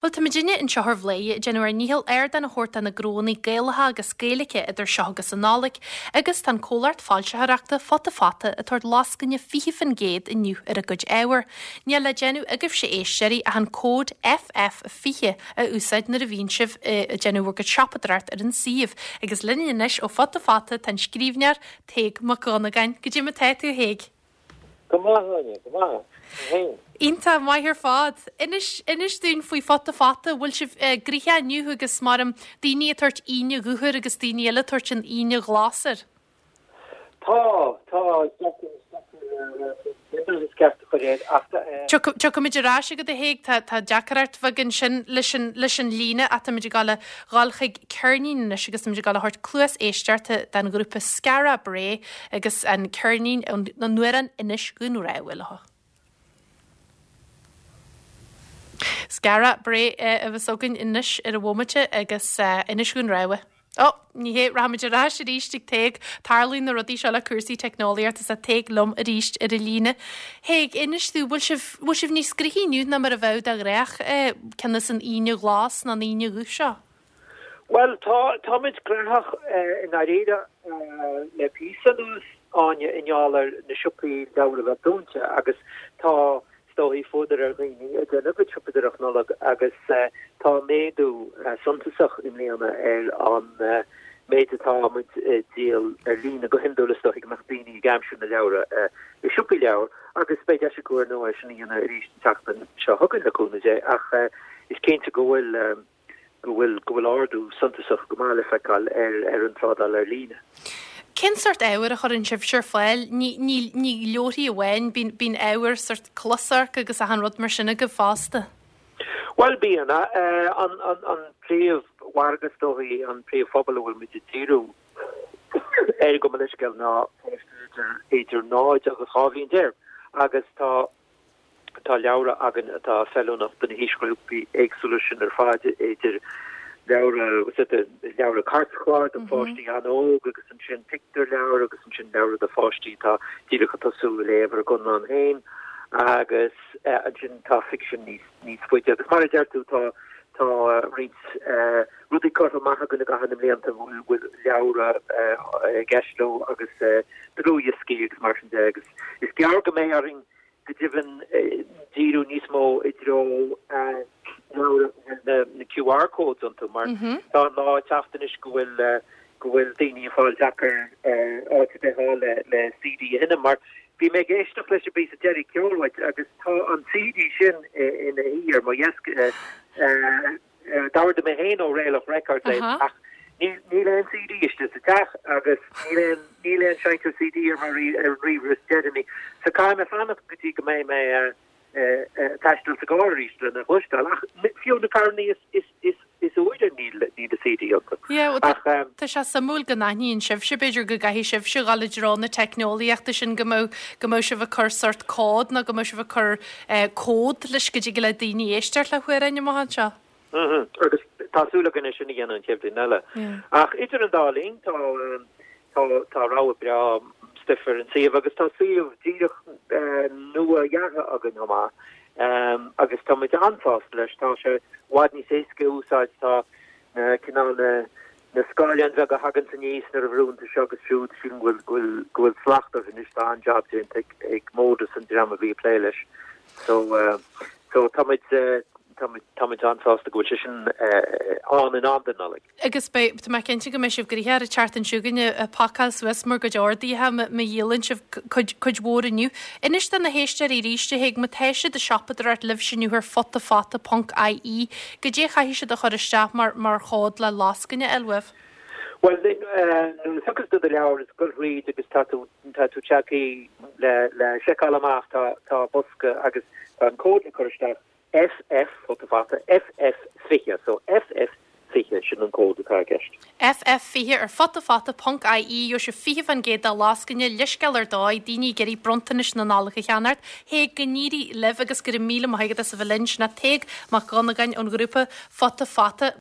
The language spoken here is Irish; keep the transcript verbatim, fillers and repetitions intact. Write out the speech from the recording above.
Bhuel, tá muidinne anseo ar Bhladhaire ag déanamh ár ndícheall ardán a thabhairt do na gnónna Gaelacha agus Gaeilge idir seo agus an Nollaig agus tá an comhlacht foilsitheoireachta Futa Fata ag tabhairt lascaine fiche faoin gcéad inniu ar a gcuid ábhar. Níl le déanamh agaibhse éisteoirí ach an cód F F fiche a úsáid nuair a bhíonn sibh ag déanamh bhur gcuid siopadóireacht ar an suíomh. Agus linn anois ó Futa Fata tá an scríbhneoir Tadhg Mac Dhonnagáin. Goidé mar tá tú, a Thaidhg? Go maith, Áine, go maith. Féin? Iontach maith ar fad. Inis inis dúinn faoi Futa Fata, bhfuil sibh uh, gnoitheach inniu agus mar daoine ag tabhairt Aoine Dhubh air agus daoine eile ag tabhairt an Aoine Ghlas air. Tá tá ceart Tiocfaimid ar ais chugat a Thaidhg tá tá deacracht bheag ansin leis an leis an líne táimid ag gabháil a dhul chuig ceirnín anois agus táimid ag gabháil a thabhairt cluas éisteachta den ghrúpa Skara Brae agus an ceirnín an amhrán Inis Dhún Rámha leo. Skara Brae a bheas againn anois ar an bhomaite agus Inis Dhún Rámha. Ó, ní hé rachaimid ar ais arís ag Tadhg, tarlaíonn na rudaí seo le cúrsaí teicneolaíochta is tá Tadhg liom arís ar an líne. Thaidhg, inis dúinn, bhfuil sibh bhfuil sibh níos gnoithí inniu ná mar a bheadh de ghnách cionn is an Aoine Ghlas ná an Aoine Dhubh seo? Well tá táimid gnóthach i ndáiríre le píosa anuas Áine i ngeall ar na siopaí leabhar a bheith dúnta agus tá is dóigh fuadar ar dhaoine ag déanamh a gcuid siopadóireacht Nollag agus tá méadú suntasach i mbliana ar an méid atá muid ag díol ar líne. Go hiondúil is dóigh go mbeadh daoine ag aimsiú na leabhra i siopaí leabhar agus beidh deis acu ar ndóigh sin a dhéanamh arís an tseachtain seo chugainn le cúnamh Dé ach is cinnte go bhfuil go bhfuil go bhfuil ardú suntasach go maith le feiceáil ar ar an trádáil ar líne. Cén sórt ábhair a chuireann sibhse ar fáil? Ní ní ní leabharthaí amháin, bíonn bíonn ábhar sórt closamhairc agus achan rud mar sin agaibh fosta. Bhuel bíonn an an an príomh-mhargadh is dóigh an príomhphobal a bhfuil muid ag díriú air gabh mo leithscéal ná páistí idir idir náid agus dhá bhliain déag agus tá Tá leabhra againn atá feiliúnach do na haoisghrúpaí éagsúla sin ar fad, idir leabhra, leabhra cairtchláir do pháistí an-óg agus ansin pictiúrleabhair agus ansin leabhra do pháistí atá díreach ag tosú ag léamh ar a gconlán féin agus ansin tá ficsean níos níos faide. Agus mar a deir tú tá tá roinnt rudaí curtha amach againn i gcaitheamh na mblianta a bhfuil leabhra i gceist leo agus dlúthdhioscaí agus mar sin de agus is gearr go mbeidh orainn go deimhin díriú níos mó i dtreo leabhra a bhfuil na Q R codes iontu mar tá an lá ag teacht anois go bhfuil go bhfuil daoine ag fáil deacair áit ar bith a fháil le le C D a sheinm mar bhí mé ag éisteacht leis an bpíosa deiridh ceoil uait agus tá an C D sin ina shuí ar mo dheasc. D'ordaigh mé féin ó Réalach Records é ach níl aon C D istigh sa teach agus níl aon níl aon seinnteoir C D ar mo ar an ríomhaire is deireanaí so caithfidh mé fanacht go dtí go mbeidh mé ag taisteal sa gcarr arís lena chloisteáil ach fiú na carrannaí is is is is úire níl níl a C D iontu. Yeah, well, ach tá sé suimiúil go n-aithníonn sibhse, b'fhéidir go gcaithfidh sibhse dhul i dtreo na teicneolaíochta sin go mbeadh go mbeadh sibh ag cur sort cód nó go mbeadh sibh ag cur cód leis go dtig le daoine éisteacht le hamhráin amach anseo. Agus tá súil againn é sin a dhéanamh an chéad bhliain eile. Ach idir an dá linn tá tá tá rogha breá stuif ar an suíomh agus tá suíomh díreach nua-dheartha againn chomh maith agus tá muid an-sásta leis. Tá sé i bhfad níos éasca a úsáid, tá na cineál na na scáileáin bheaga a thaganns aníos nuair a bhrúnn tú seo agus siúd, sílim go bhfuil go bhfuil go bhfuil slacht orthu anois, tá an-jab déanta ag ag Modus an dream a bhí ag plé leis. So so tá muid tá muid tá muid an-sásta go bhfuil sé sin ann in am don Nollaig. Agus beidh, tá mé cinnte go mbeidh sibh gnoitheach ar an tseachtain seo chugainn ag pacáil suas bhur gcuid orduithe má dhíolann sibh cuid, cuid mhór inniu. Inis do na héisteoirí arís a Thaidhg, má tá siad ag siopadóireacht libhse inniu ar futafata ponc I E, goidé a chaithfidh siad a chur isteach mar, mar chód le lascaine a fháil uaibh? Bhuel, nuair a thiocfas tú do leabhar is goil thríd agus tá tú, tá tú tagtha le, le seiceáil amach, tá, tá bosca agus tá an cód le cur isteach F F, futa fata, F F fiche, so F F fiche, sin an cód atá i gceist. F F fiche ar futafata ponc I E, gheobhaidh sibh fiche faoin gcéad de lascaine, leithscéal ar dóigh, daoine ag iarraidh bronntanais na Nollag a cheannacht. Thaidhg, go n-éirí libh agus go raibh míle maith agat as a bheith linn. Sin é Tadhg Mac Dhonnagáin ón ghrúpa Futa Fata.